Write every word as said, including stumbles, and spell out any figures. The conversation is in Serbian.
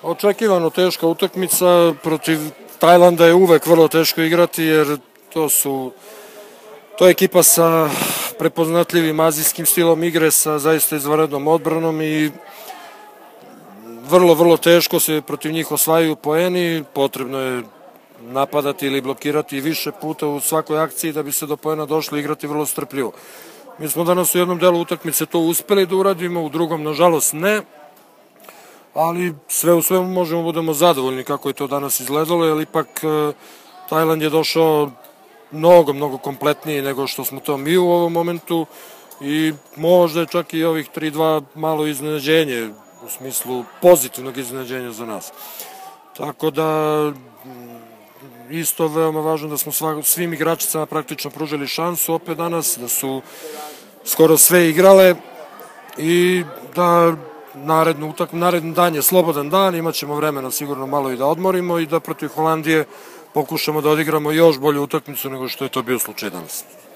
Očekivano teška utakmica, protiv Tajlanda je uvek vrlo teško igrati jer to su to je ekipa sa prepoznatljivim azijskim stilom igre, sa zaista izvanrednom odbranom i vrlo, vrlo teško se protiv njih osvajaju poeni, potrebno je napadati ili blokirati više puta u svakoj akciji da bi se do poena došli, igrati vrlo strpljivo. Mi smo danas u jednom delu utakmice to uspeli da uradimo, u drugom nažalost ne, ali sve u svemu možemo budemo zadovoljni kako je to danas izgledalo, jer ipak Tajland je došao mnogo, mnogo kompletniji nego što smo to mi u ovom momentu i možda je čak i ovih tri dva malo iznenađenje, u smislu pozitivnog iznenađenja za nas. Tako da isto veoma važno da smo svim igračicama praktično pružili šansu opet danas, da su skoro sve igrale i da narednu utakmicu, naredni dan je slobodan dan, imat ćemo vremena sigurno malo i da odmorimo i da protiv Holandije pokušamo da odigramo još bolju utakmicu nego što je to bio slučaj danas.